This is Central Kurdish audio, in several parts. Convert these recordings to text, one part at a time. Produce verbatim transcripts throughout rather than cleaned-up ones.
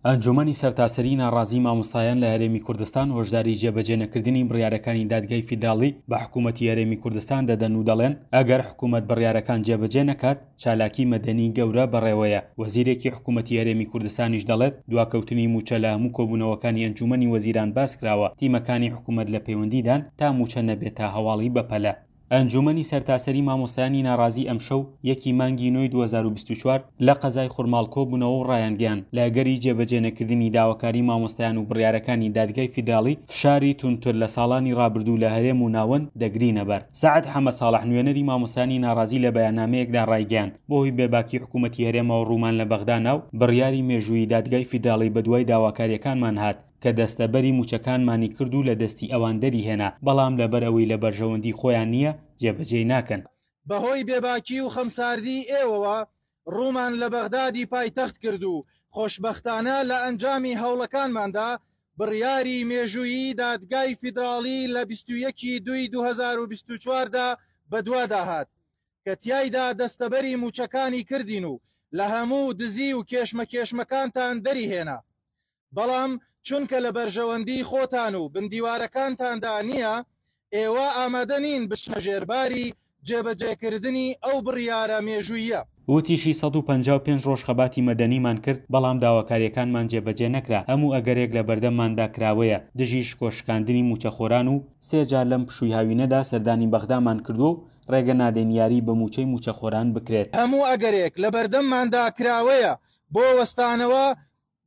ئەنجومەنی سەرتاسەری ناڕازی مامۆستایان لە هەرێمی کوردستان هۆشداری جێبەجێنەکردنی بڕیارەکانی دادگای فیدراڵی بە حکوومەتی هەرێمی کوردستان دەدەن و دەڵێن ئەگەر حکوومەت بڕیارەکان جێبەجێ نەکات چالاکی مەدەنی گەورە بەڕێوەیە. وەزیرێکی حکوومەتی هەرێمی کوردستانیش دەڵێت دواکەوتنی مووچە لە هەموو کۆبوونەوەکانی ئەنجومەنی وەزیران باس کراوە، تیمەکانی حکوومەت لە پەیوەندیدان تا مووچە نەبێتە هەواڵی بەپەلە. ئەنجومەنی سەرتاسەری مامۆستایانی ناڕازی ئەمشەو یەکی مانگی نۆی دوو هەزار و بیست و چوار لە قەزای خورماڵ کۆبوونەوە و ڕایانگەیاند لە ئەگەری جێبەجێنەکردنی داواکاری مامۆستایان و بڕیارەکانی دادگای فیدراڵی فشاری توندتر لە ساڵانی ڕابردوو لە هەرێم و ناوەند دەگرینە بەر. سەعد حەمە ساڵح نوێنەری مامۆستایانی ناڕازی لە بەیاننامەیەکدا ڕایگەیاند بەهۆی بێباکی حکوومەتی هەرێمەوە ڕوومان لە بەغدا نا و بڕیاری مێژوویی دادگای فیدراڵی بەدوای داواکاریەکانمان هات کە دەستەبەری موچەکانمانی کرد و لە دەستی ئەوان دەری هێنا، بەڵام لەبەر ئەوەی لە بەرژەوەندی خۆیان نییە جێبەجێی ناکەن. بەهۆی بێباکی و خەمساردی ئێوەوە ڕوومان لە بەغدادی پایتەخت کرد و خۆشبەختانە لە ئەنجامی هەوڵەکانماندا بڕیاری مێژوویی دادگای فیدراڵی لە بیست و یەکی دووی دوو هەزار و بیست و چواردا بەدوادا هات کە تیایدا دەستەبەری موچەکانی کردین و لە هەموو دزی و کێشمەکێشمەکانتان دەری هێنا، بەڵام چونکە لە بەرژەوەندی خۆتان و بندیوارەکانتاندا نییە ئێوە ئامادە نین بچنە ژێرباری جێبەجێکردنی ئەو بڕیارە مێژوویە. وتیشی سەد و پەنجا و پێنج ڕۆژ خەباتی مەدەنیمان کرد، بەڵام داواکاریەکانمان جێبەجێ نەکرا، هەموو ئەگەرێک لە بەردەمماندا کراوەیە دژی شکۆ شکاندنی موچەخۆران و سێ جار لەم پشووی هاوینەدا سەردانی بەغدامان کردووە و ڕێگە نادەین یاری بە موچەی موچەخۆران بکرێت. هەموو ئەگەرێک لە بەردەمماندا کراوەیە بۆ وەستانەوە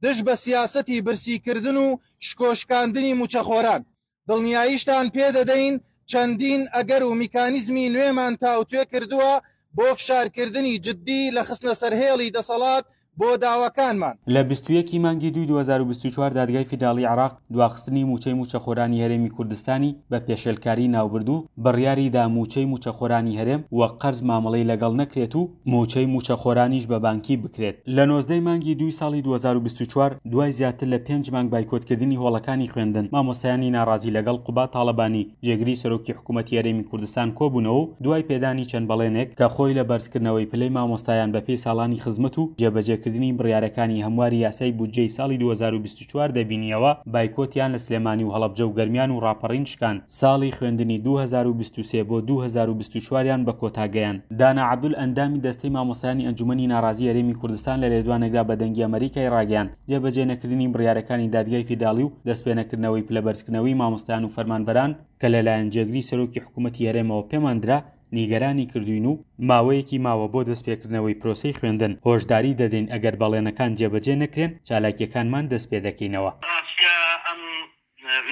دژ بە سیاسەتی برسیکردن و شکۆشکاندنی موچەخۆران. دڵنیاییشتان پێدەدەین چەندین ئەگەر و میکانیزمی نوێمان تاوتوێ کردووە بۆ فشارکردنی جدی لە خستنە سەرهێڵی دەسەڵات بۆ داواکانمان. لە بیست و یەکی مانگی دووی دوو هەزار و بیست و چوار دادگای فیدراڵی عێراق دواخستنی موچەی موچەخۆرانی هەرێمی کوردستانی بە پێشێلکاری ناوبرد و بڕیاری دا موچەی موچەخۆرانی هەرێم وەک قەرز مامەڵەی لەگەڵ نەکرێت و موچەی موچەخۆرانیش بە بانکی بکرێت. لە نۆزدەی مانگی دووی ساڵی دوو هەزار و بیست و چوار دوای زیاتر لە پێنج مانگ بایکۆتکردنی هۆڵەکانی خوێندن، مامۆستایانی ناڕازی لەگەڵ قوباد تاڵەبانی جێگری سەرۆکی حکوومەتی هەرێمی کوردستان کۆبوونەوە و دوای پێدانی چەند بەڵێنێک کە خۆی لە بەرزکردنەوەی پلەی مامۆستایان بەپێی ساڵانی خزمەت و جێبەجێکردنی بڕیارەکانی هەمواری یاسای بودجەی ساڵی دوو هەزار و بیست و چوار دەبینیەوە، بایکۆتیان لە سلێمانی و هەڵەبجە و گەرمیان و ڕاپەڕین شکاند. ساڵی خوێندنی دوو هەزار و بیست و سێ بۆ دوو هەزار و بیست و چواریان بە کۆتا گەیاند. دانا عەبدول ئەندامی دەستەی مامۆستایانی ئەنجومەنی ناڕازی هەرێمی کوردستان لە لێدوانێکدا بە دەنگی ئەمریکای ڕاگەیاند جێبەجێ نەکردنی بڕیارەکانی دادگای فیدراڵی و دەستپێنەکردنەوەی پلەبەرزکردنەوەی مامۆستایان و فەرمانبەران کە لەلایەن جێگری سەرۆکی حکوومەتی هەرێمەوە پێمان درا نیگەرانی کردوین و ماوەیەکی ماوە بۆ دەستپێکردنەوەی پرۆسەی خوێندن. هۆشداری دەدەین ئەگەر بەڵێنەکان جێبەجێ نەکرێن چالاکیەکانمان دەست پێ دەکەینەوە. ڕاستە ئەم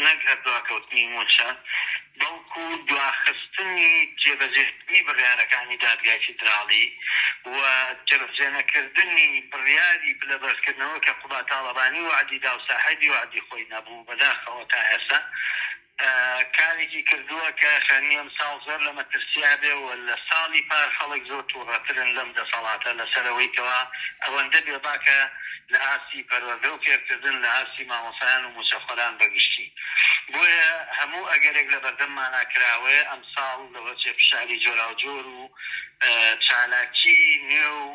نەک هەر دواکەوتنی موچە بەڵکو دواخستنی جێبەجێکردنی بڕیارەکانی دادگای فیدراڵی و جێبەجێنەکردنی بڕیاری پلەبەرزکردنەوە کە قوباد تاڵەبانی وعدی دا و ساحێبی وعدی خۆی نەبوو، بەداخەوە تا ئێستا کارێکی کردووە کە خوێندنی ئەم ساڵ زۆر لە مەترسیا بێ و لە ساڵی پار خەڵک زۆر تووڕەترن لەم دەسەڵاتە لەسەرەوەی کەوا ئەوەندە بێباکە لە ئاستی پەروەردە و فێرکردن لە ئاستی مامۆستایان و موچەخۆران بەگشتی. بۆیە هەموو ئەگەرێک لە بەردەممانا کراوەیە ئەم ساڵ لەوەچێ فشاری جۆراوجۆر و چالاکی نوێ و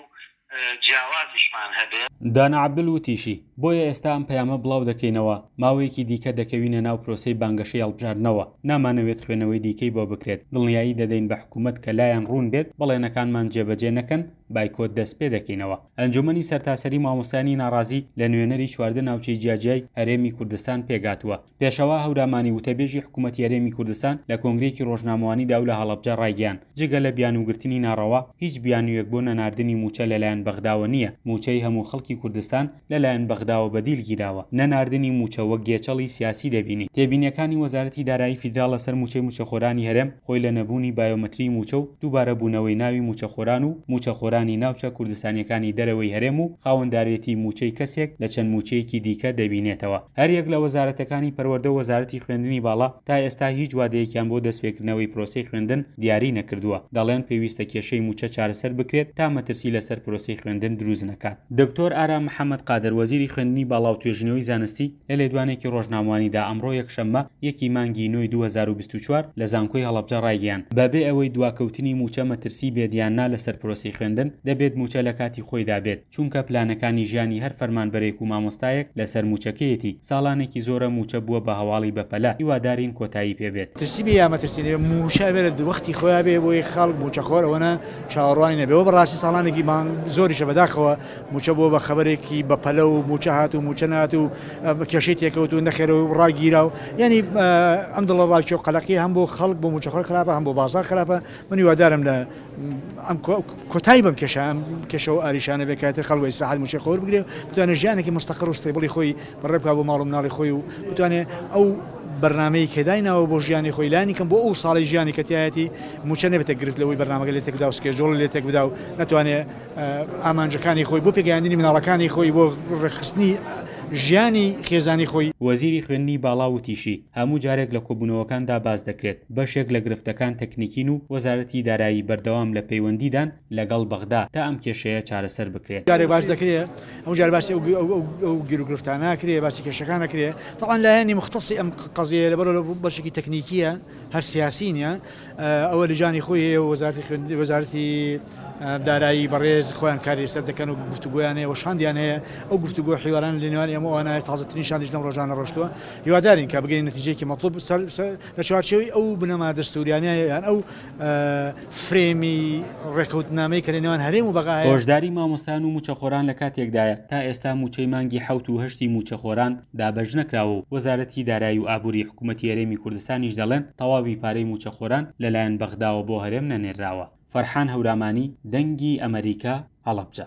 جیاوازیشمان هەبێت. دانا عەبدول وتیشی بۆیە ئێستا ئەم پەیامە بڵاو دەکەینەوە، ماوەیەکی دیکە دەکەوینە ناو پرۆسەی بانگەشەی هەڵبژاردنەوە، نامانەوێت خوێنەوەی دیکەی بۆ بکرێت، دڵنیایی دەدەین بە حکوومەت کە لایەن ڕوون بێت بەڵێنەکانمان جێبەجێ نەکەن بایکۆت دەست پێ دەکەینەوە. ئەنجومەنی سەرتاسەری مامۆستایانی ناڕازی لە نوێنەری چواردە ناوچەی جیاجیای هەرێمی کوردستان پێگاتووە. پێشەوا هەورامانی وتەبێژی حکوومەتی هەرێمی کوردستان لە کۆنگرێکی ڕۆژنامەوانیدا و لە هەڵەبجە ڕایگەیاند جگە لە بیانووگرتنی ناڕەوا هیچ بیانوویەک بۆ نەناردنی موچە لەلایەن بەغداوە نییە. موچەی هەموو خەڵکی کوردستان لەلایەن بەغداوە بەدیل گیراوە. نەناردنی موچە وەک گێچەڵی سیاسی دەبینی. تێبینیەکانی وەزارەتی دارایی فیدراڵ لەسەر موچەی موچەخۆرانی هەرێم خۆی لە نەبوونی بایۆمەتری موچە و دووبارە بوونەوەی ناوی موچەخۆران و موچەخۆرانی ناوچە کوردستانیەکانی دەرەوەی هەرێم و خاوەندارێتی موچەی کەسێک لە چەند موچەیەکی دیکە دەبینێتەوە. هەریەک لە وەزارەتەکانی پەروەردە و وەزارەتی خوێندنی باڵا تا ئێستا هیچ وادەیەکیان بۆ دەستپێکردنەوەی پرۆسەی خوێندن دیاری نەکردووە. دەڵێن پێویستە کێشەی موچە چارەسەر بکرێت تا مەترسی لەسەر پرۆسەی پرۆسەی خوێندن دروست نەکات. دکتۆر ئارام محەمەد قادر وەزیری خوێندنی باڵا و توێژینەوەی زانستی لە لێدوانێکی ڕۆژنامەوانیدا ئەمڕۆ یەکشەممە یەکی مانگی نۆی دوو هەزار و بیست و چوار لە زانکۆی هەڵەبجە ڕایگەیاند بەبێ ئەوەی دواکەوتنی مووچە مەترسی بێت یان نا لەسەر پرۆسەی خوێندن دەبێت مووچە لە کاتی خۆیدا بێت چونکە پلانەکانی ژیانی هەر فەرمانبەرێک و مامۆستایەک لەسەر مووچەکەیەتی ساڵانێکی زۆرە مووچە بووە بە هەواڵی بەپەلە هیوادارین کۆتایی پێبێت. مەترسی بێ یا مەترسی نەبێ مووچە ئەبێ لە وەختی خۆیان بێ بۆی خەڵک مووچەخۆر ئەوەنە چاوەڕوانی نەبێ. ئەوە بەڕاستی ساڵانێکی مانگ زۆریشە بەداخەوە مووچە بووە بە خەبەرێکی بەپەلە و مووچە هات و مووچە نهات و کێشەی تێکەوت و نەخێرە و ڕاگیرا و یعنی ئەم دڵە ڕاکێ و قەلەقی هەم بۆ خەڵک بۆ مووچەخۆر خراپە هەم بۆ بازار خراپە. من هیوادارم لە ئەم کۆتایی بەم کێشە ئەم کێشە و ئاریشانە بێ کاتر خەڵک بە ئیسراحەت مووچەی خۆر بگرێ و بتوانێت ژیانێکی مستەقڕ و stable ی خۆی بەڕێ بکات بۆ ماڵ و مناڵی خۆی و بتوانێت ئەو بەرنامەی کە دایناوە بۆ ژیانی خۆی لانی کەم بۆ ئەو ساڵی ژیانی کە تایەتی مووچە نەبێتە گرفت لەوەی بەرنامەکە لێ تێکدا و schedule لێ تێک بدا و نەتوانێت ئامانجەکانی خۆی بۆ پێگەیاندنی مناڵەکانی خۆی بۆ ڕێکخستنی ژیانی خێزانی خۆی. وەزیری خوێندنی باڵا وتیشی هەموو جارێک لە کۆبوونەوەکاندا باس دەکرێت بەشێک لە گرفتەکان تەکنیکین و وەزارەتی دارایی بەردەوام لە پەیوەندیدان لەگەڵ بەغدا تا ئەم کێشەیە چارەسەر بکرێت. جارێک باس دەکرێت هەموو جار باسی ئەو گیروگرفتانە ناکرێت باسی کێشەکان نەکرێت. طبعا لایەنی مختصی ئەم قەزیەیە لەبەرەوە بەشێکی تەکنیکیە هەر سیاسی نییە ئەوە لجانی خۆی هەیە و وەزارەتی دارایی بەڕێز خۆیان کاری لەسەر دەکەن و گفتوگۆیان هەیە و شاندیان هەیە. ئەو گفتوگۆ حیواران لە نێوان ئێمە ئەوانە تازەترین شاندیش لەم ڕۆژانە ڕۆشتووە. هیوادارین کە بگەین نەتیجەیەکی مەطلوب لە چوارچێوەی ئەو بنەما دەستوریانە یان ئەو فرێمی ڕێکەوتنامەی کە لە نێوان هەرێم و بەغا هەیە. هۆشداری مامۆستایان و مووچەخۆران لە کاتێکدایە تا ئێستا مووچەی مانگی حەوت و هەشتی مووچەخۆران دابەش نەکراوە و وەزارەتی دارایی و ئابووری حکوومەتی هەرێمی کوردستانیش دەڵێن تەواوی پارەی مووچەخۆران لەلایەن بەغداوە بۆ هەرێم نەنێراوە. فەرحان هەورامانی، دەنگی ئەمریکا، هەڵەبجە.